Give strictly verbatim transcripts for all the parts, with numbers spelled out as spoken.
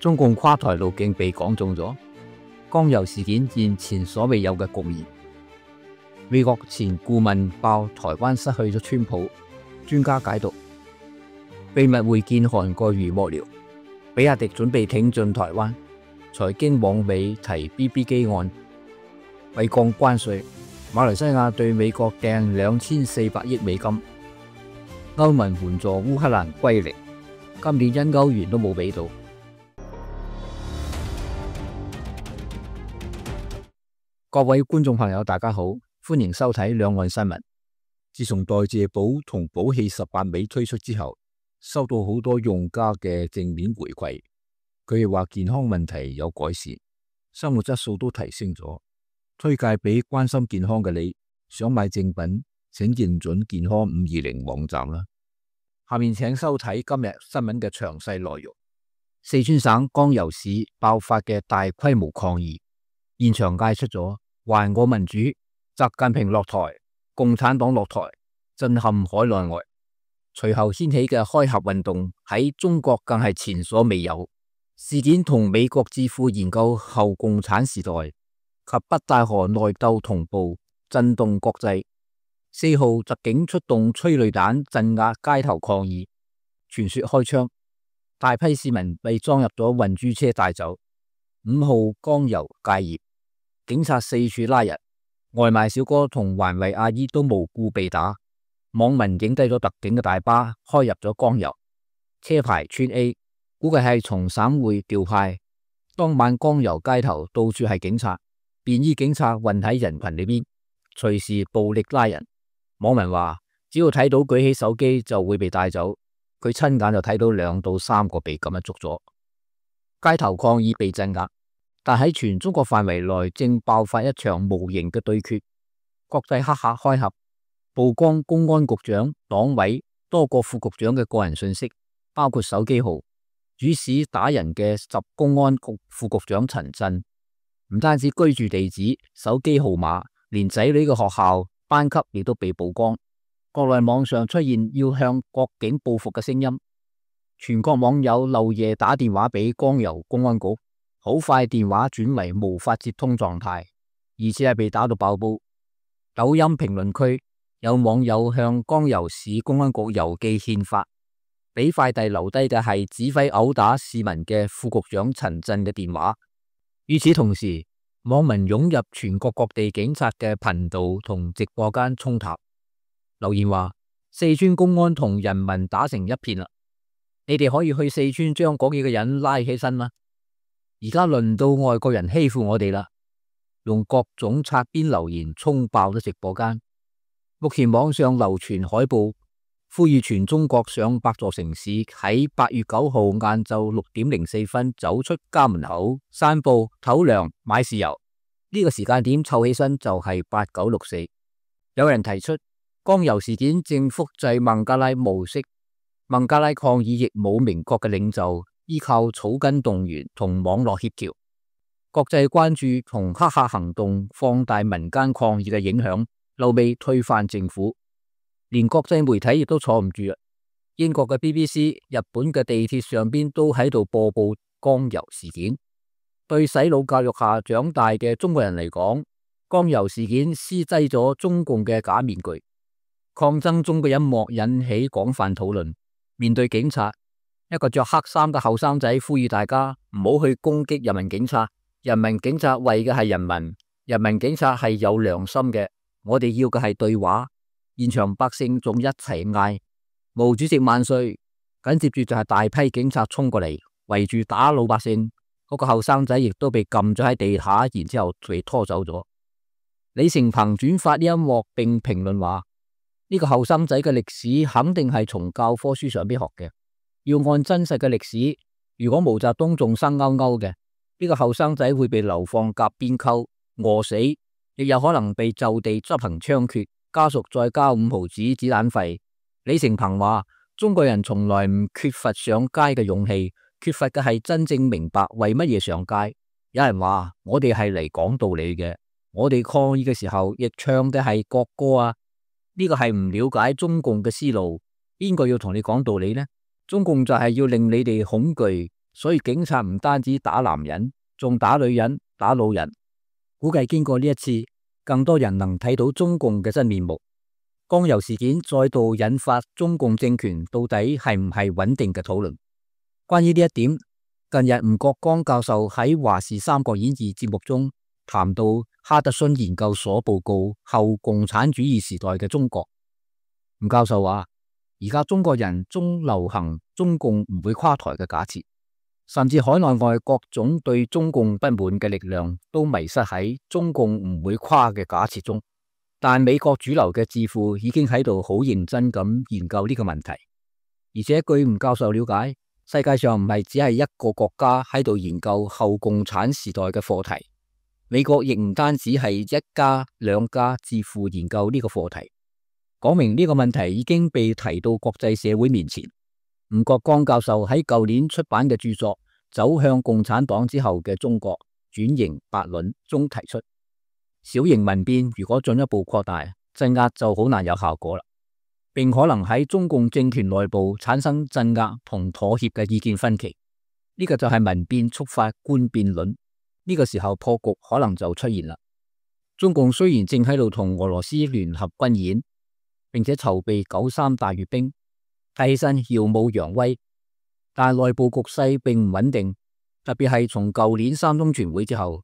中共跨台路徑被講中咗，江油事件現前所未有嘅局面。美國前顧問爆台灣失去咗川普，專家解讀秘密會見韓國瑜幕僚，比亞迪準備挺進台灣。財經網美提 B B 機案，為降關稅，馬來西亞對美國掟兩千四百億美金。歐盟援助烏克蘭歸零，今年因歐元都冇俾到。各位觀眾朋友，大家好，歡迎收睇兩岸新聞。自從代謝寶同寶氣十八尾推出之後，收到好多用家嘅正面回饋，佢哋話健康問題有改善，生活質素都提升咗，推介俾關心健康嘅你。想買正品，請認準健康五二零網站啦。下面請收睇今日新聞嘅詳細內容。四川省江油市爆發嘅大規模抗議，現場嗌出咗還我民主、習近平落台、共產黨落台，震撼海內外。隨後掀起嘅開合運動喺中國更係前所未有。事件同美國智庫研究後共產時代及北戴河內鬥同步，震動國際。四號特警出動催淚彈鎮壓街頭抗議，傳說開槍，大批市民被裝入咗運輸車帶走。五號江油戒業，警察四處拉人，外賣小哥同環衛阿姨都無故被打。網民影低咗特警嘅大巴開入咗江油，車牌川 A， 估計係從省會調派。當晚江油街頭到處係警察，便衣警察混喺人群裏邊，隨時暴力拉人。網民話只要睇到舉起手機就會被帶走，佢親眼就睇到兩到三個被咁樣捉咗。街頭抗議被鎮壓，但喺全中國範圍內正爆發一場無形嘅對決。國際黑客開合，曝光公安局長、黨委多個副局長嘅個人信息，包括手機號。主使打人嘅十公安局副局長陳震，唔單止居住地址、手機號碼，連仔女嘅學校、班級亦都被曝光。國內網上出現要向國警報復嘅聲音，全國網友漏夜打電話俾江油公安局，好快電話轉為無法接通狀態，而且係被打到爆煲。抖音評論區有網友向江油市公安局郵寄憲法，俾快遞留低嘅係指揮毆打市民嘅副局長陳震嘅電話。與此同時，網民湧入全國各地警察嘅頻道同直播間衝塔，留言話四川公安同人民打成一片啦，你哋可以去四川將嗰幾個人拉起身啦。而家輪到外國人欺負我哋啦，用各種擦邊留言衝爆咗直播間。目前網上流傳海報，呼籲全中國上百座城市喺八月九號晏晝六點零四分走出家門口散步、唞涼、買豉油。呢個時間點湊起身就係八九六四。有人提出江油事件正複製孟加拉模式，孟加拉抗議亦冇明確嘅領袖，依靠草根動員同網絡協調。國際關注同黑客行動放大民間抗議嘅影響，後尾推翻政府。連國際媒體亦都坐唔住啦，英國嘅 B B C、日本嘅地鐵上邊都喺度播報江油事件。對洗腦教育下長大嘅中國人嚟講，江油事件施擠咗中共嘅假面具。抗爭中嘅一幕引起廣泛討論。面對警察，一個着黑衫嘅後生仔呼籲大家唔好去攻擊人民警察，人民警察為嘅係人民，人民警察係有良心嘅，我哋要嘅係對話。現場百姓仲一齊嗌毛主席萬歲，緊接住就係大批警察衝過嚟圍住打老百姓。嗰個後生仔亦都被撳咗喺地下，然之後被拖走咗。李成鵬轉發呢一幕並評論話，呢個後生仔嘅歷史肯定係從教科書上邊學嘅，要按真實嘅歷史。如果毛澤東仲生勾勾嘅，呢個後生仔會被流放夾邊溝餓死，亦有可能被就地執行槍決，家屬再交五毫子子彈費。李成鵬話，中國人從來唔缺乏上街嘅勇氣，缺乏嘅係真正明白為乜嘢上街。有人話我哋係嚟講道理嘅，我哋抗議嘅時候亦唱嘅係國歌啊，呢個係唔了解中共嘅思路。邊個要同你講道理呢？中共就係要令你哋恐懼，所以警察唔單止打男人，仲打女人、打老人。估計經過呢一次，更多人能睇到中共嘅真面目。江油事件再度引發中共政權到底係唔係穩定嘅討論。關於呢一點，近日吳國光教授喺華視《三國演義》節目中談到哈德遜研究所報告後共產主義時代嘅中國。吳教授話，而家中國人中流行中共唔會垮台嘅假設，甚至海內外各種對中共不滿嘅力量都迷失喺中共唔會垮嘅假設中。但美國主流嘅智庫已經喺度好認真咁研究呢個問題，而且據吳教授了解，世界上唔係只係一個國家喺度研究後共產時代嘅課題，美國亦唔單止係一家兩家智庫研究呢個課題，講明呢個問題已經被提到國際社會面前。吳國光教授喺舊年出版嘅著作《走向共產黨之後嘅中國轉型八論》中提出，小型民變如果進一步擴大，鎮壓就好難有效果啦，並可能喺中共政權內部產生鎮壓同妥協嘅意見分歧。呢、這個就係民變觸發官變論，呢、這個時候破局可能就出現啦。中共雖然正喺度同俄羅斯聯合軍演，並且籌備九三大閱兵，睇起身耀武揚威，但內部局勢並唔穩定，特別係從舊年三中全會之後，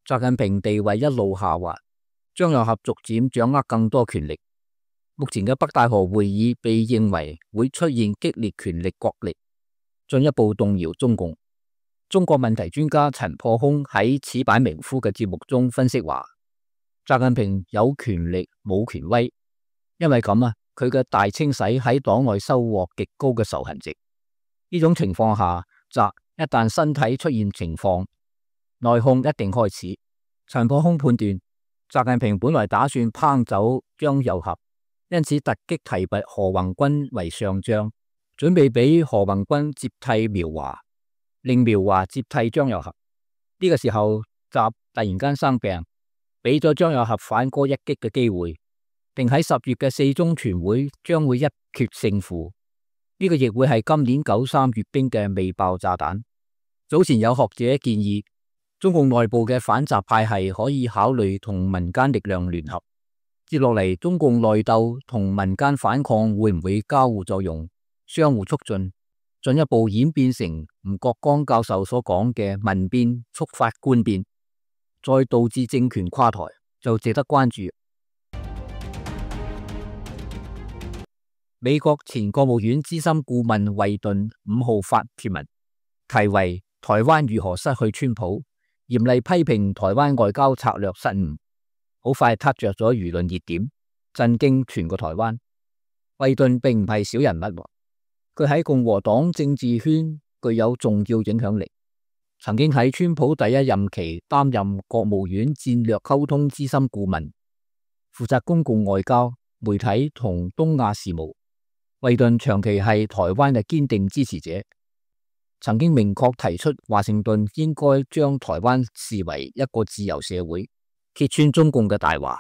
習近平地位一路下滑，張又俠逐漸掌握更多權力。目前嘅北戴河會議被認為會出現激烈權力角力，進一步動搖中共。中國問題專家陳破空喺此版名夫嘅節目中分析話，習近平有權力冇權威，因為咁啊，佢嘅大清洗喺黨內收穫極高嘅仇恨值。呢種情況下，習一旦身體出現情況，內訌一定開始。陳破空判斷，習近平本來打算烹走張又俠，因此突擊提拔何宏軍為上將，準備俾何宏軍接替苗華，令苗華接替張又俠。呢、這個時候，習突然間生病，俾咗張又俠反戈一擊嘅機會，並喺十月嘅四中全會將會一決勝負。呢、這個亦會係今年九三閱兵嘅未爆炸彈。早前有學者建議，中共內部嘅反習派系可以考慮同民間力量聯合。接落嚟，中共內鬥同民間反抗會唔會交互作用、相互促進，進一步演變成吳國光教授所講嘅民變觸發官變，再導致政權垮台，就值得關注。美國前國務院資深顧問惠頓五號發帖文，題為《台灣如何失去川普》，嚴厲批評台灣外交策略失誤，好快撻着咗輿論熱點，震驚全個台灣。惠頓並唔係小人物，佢喺共和黨政治圈具有重要影響力，曾經喺川普第一任期擔任國務院戰略溝通資深顧問，負責公共外交、媒體同東亞事務。惠頓長期係台灣嘅堅定支持者，曾經明確提出華盛頓應該將台灣視為一個自由社會，揭穿中共嘅大話，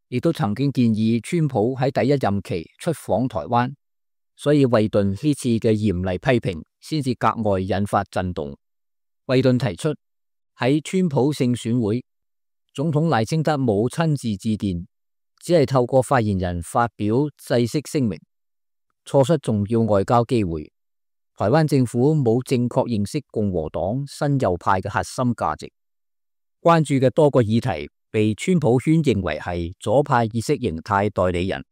亦都曾經建議川普喺第一任期出訪台灣，所以惠頓呢次嘅嚴厲批評先至格外引發震動。惠頓提出喺川普勝選會，總統賴清德冇親自致電，只係透過發言人發表制式聲明，錯失重要外交機會。台灣政府冇正確認識共和黨新右派嘅核心價值，關注嘅多個議題被川普圈認為係左派意識形態代理人。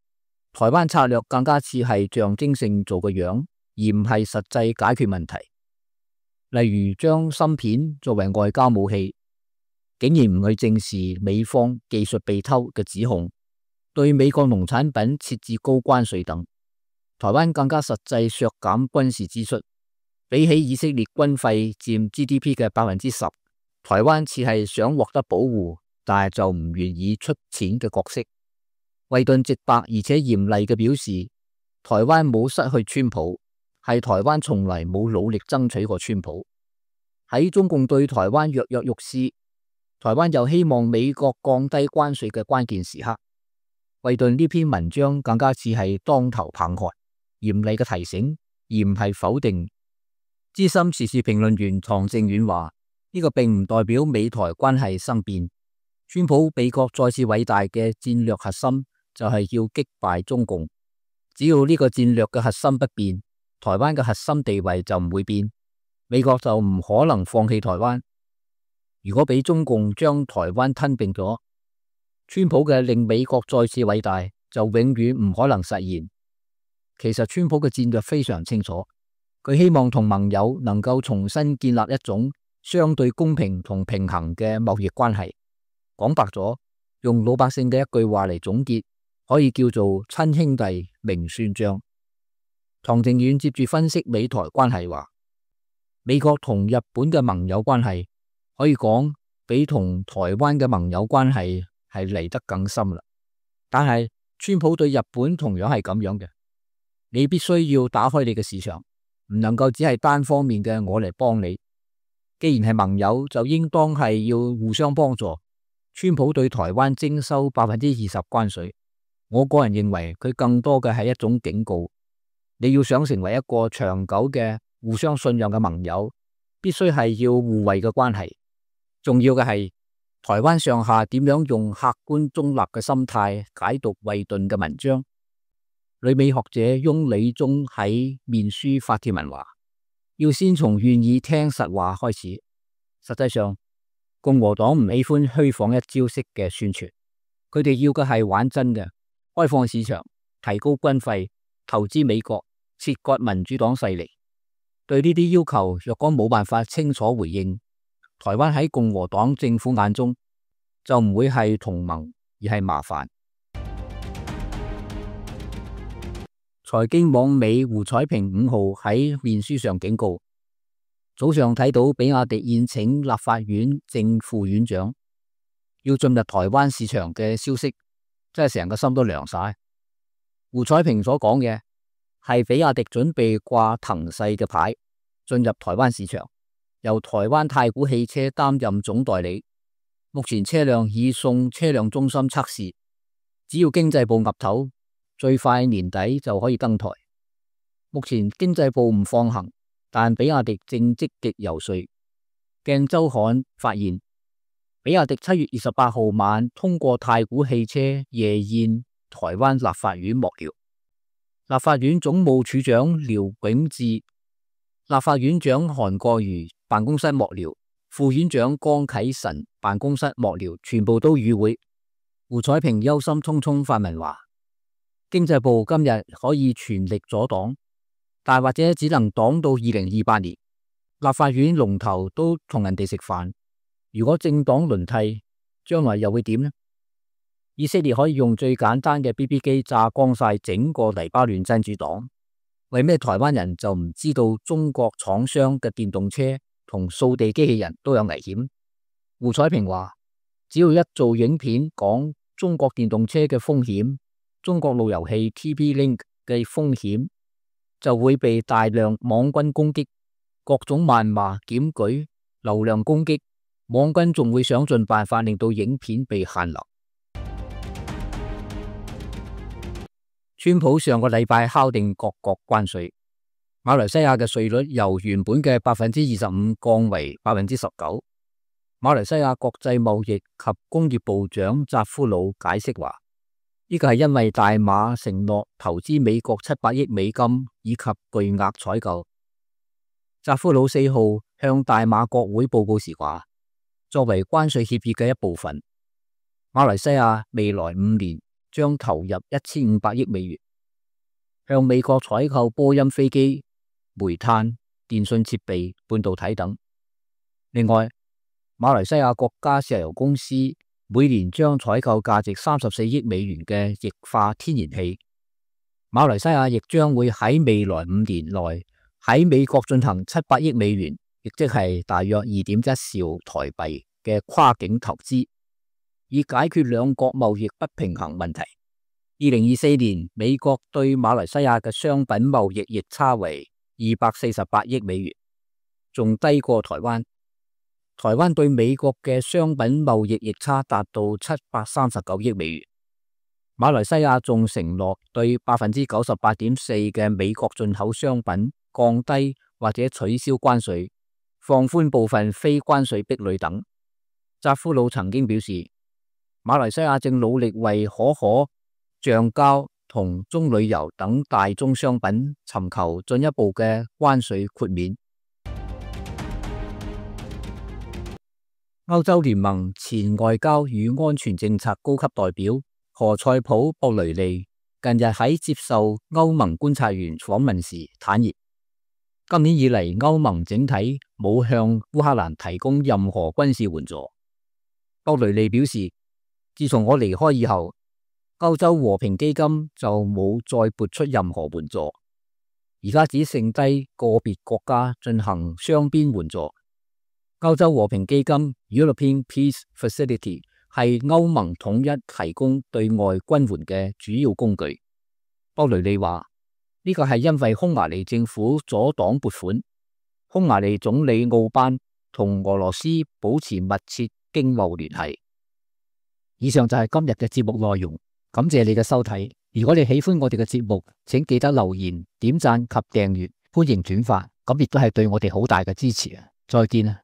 台灣策略更加似係象徵性做個樣，而唔係實際解決問題。例如將芯片作為外交武器，竟然唔去正視美方技術被偷嘅指控，對美國農產品設置高關稅等。台灣更加實際削減軍事支出，比起以色列軍費佔 G D P 嘅百分之十，台灣似係想獲得保護，但係就唔願意出錢嘅角色。惠頓直白而且嚴厲嘅表示，台灣冇失去川普，係台灣從來冇努力爭取過川普。喺中共對台灣躍躍欲試，台灣又希望美國降低關稅嘅關鍵時刻，惠頓呢篇文章更加似係當頭棒喝，嚴厲嘅提醒，而唔係否定。資深時事評論員唐靖遠話：呢個並唔代表美台關係生變。川普美國再次偉大嘅戰略核心就係要擊敗中共。只要呢個戰略嘅核心不變，台灣嘅核心地位就唔會變，美國就唔可能放棄台灣。如果俾中共將台灣吞併咗，川普嘅令美國再次偉大就永遠唔可能實現。其實川普嘅戰略非常清楚，佢希望同盟友能夠重新建立一種相對公平同平衡嘅貿易關係。講白咗，用老百姓嘅一句話嚟總結，可以叫做親兄弟明算賬。唐靖遠接住分析美台關係話，美國同日本嘅盟友關係可以講比同台灣嘅盟友關係係嚟得更深啦。但係川普對日本同樣係咁樣嘅，你必須要打開你嘅市場，唔能夠只係單方面嘅我嚟幫你。既然係盟友，就應當係要互相幫助。川普對台灣徵收百分之二十關稅，我個人認為佢更多嘅係一種警告。你要想成為一個長久嘅互相信任嘅盟友，必須係要互惠嘅關係。重要嘅係台灣上下點樣用客觀中立嘅心態解讀惠頓嘅文章。旅美學者翁理忠喺面書發帖文話，要先從願意聽實話開始。實際上，共和黨唔喜歡虛晃一招式嘅宣傳，佢哋要嘅係玩真嘅，開放市場，提高軍費，投資美國，切割民主黨勢力。對呢啲要求，若果冇辦法清楚回應，台灣喺共和黨政府眼中就唔會係同盟，而係麻煩。財經網美胡彩萍五號喺面書上警告，早上睇到比亞迪宴請立法院正副院長要進入台灣市場嘅消息，真係成個心都涼晒。胡彩萍所講嘅係比亞迪準備掛騰勢嘅牌進入台灣市場，由台灣太古汽車擔任總代理。目前車輛已送車輛中心測試，只要經濟部岌頭，最快年底就可以登台。目前經濟部唔放行，但比亞迪正積極游說。鏡週刊發現，比亞迪七月二十八號晚通過太古汽車夜宴台灣立法院幕僚，立法院總務處長廖永智、立法院長韓國瑜辦公室幕僚、副院長江啟臣辦公室幕僚全部都與會。胡彩萍憂心忡忡發文話，經濟部今日可以全力阻擋，但或者只能擋到二零二八年。立法院龍頭都同人哋食飯，如果政黨輪替，將來又會點呢？以色列可以用最簡單嘅 B B 機炸光晒整個黎巴嫩真主黨，為咩台灣人就唔知道中國廠商嘅電動車同掃地機器人都有危險？胡彩萍話，只要一做影片講中國電動車嘅風險，中國路由器 T P-Link 嘅風險，就會被大量網軍攻擊，各種謾罵、檢舉、流量攻擊，網軍仲會想盡辦法令到影片被限流。川普上個禮拜敲定各國關稅，馬來西亞嘅稅率由原本嘅百分之二十五降為百分之十九。馬來西亞國際貿易及工業部長扎夫魯解釋話，呢個係因為大馬承諾投資美國七百億美金以及巨額採購。扎夫魯四號向大馬國會報告時話，作為關稅協議嘅一部分，馬來西亞未來五年將投入一千五百億美元，向美國採購波音飛機、煤炭、電信設備、半導體等。另外，馬來西亞國家石油公司每年將採購價值三十四億美元嘅液化天然氣。馬來西亞亦將會喺未來五年內喺美國進行七百億美元，亦即係大約二點一兆台幣嘅跨境投資，以解決兩國貿易不平衡問題。二零二四年，美國對馬來西亞嘅商品貿易逆差為二百四十八億美元，仲低過台灣。台灣對美國嘅商品貿易逆差達到七百三十九億美元。馬來西亞仲承諾對百分之九十八點四嘅美國進口商品降低或者取消關稅、放寬部分非關稅壁壘等。扎夫魯曾經表示，馬來西亞正努力為可可、橡膠同棕櫚油等大宗商品尋求進一步嘅關稅豁免。歐洲聯盟前外交與安全政策高級代表何塞普·博雷利近日喺接受歐盟觀察員訪問時坦言，今年以嚟歐盟整體冇向烏克蘭提供任何軍事援助。博雷利表示，自從我離開以後，歐洲和平基金就冇再撥出任何援助，而家只剩低個別國家進行雙邊援助。歐洲和平基金 European Peace Facility 係歐盟統一提供對外軍援嘅主要工具。博雷利話，呢個係因為匈牙利政府阻擋撥款。匈牙利總理奧班同俄羅斯保持密切經貿聯繫。以上就係今日嘅節目內容，感謝你嘅收睇。如果你喜歡我哋嘅節目，請記得留言、點讚及訂閱，歡迎轉發，咁亦都係對我哋好大嘅支持啊！再見啊！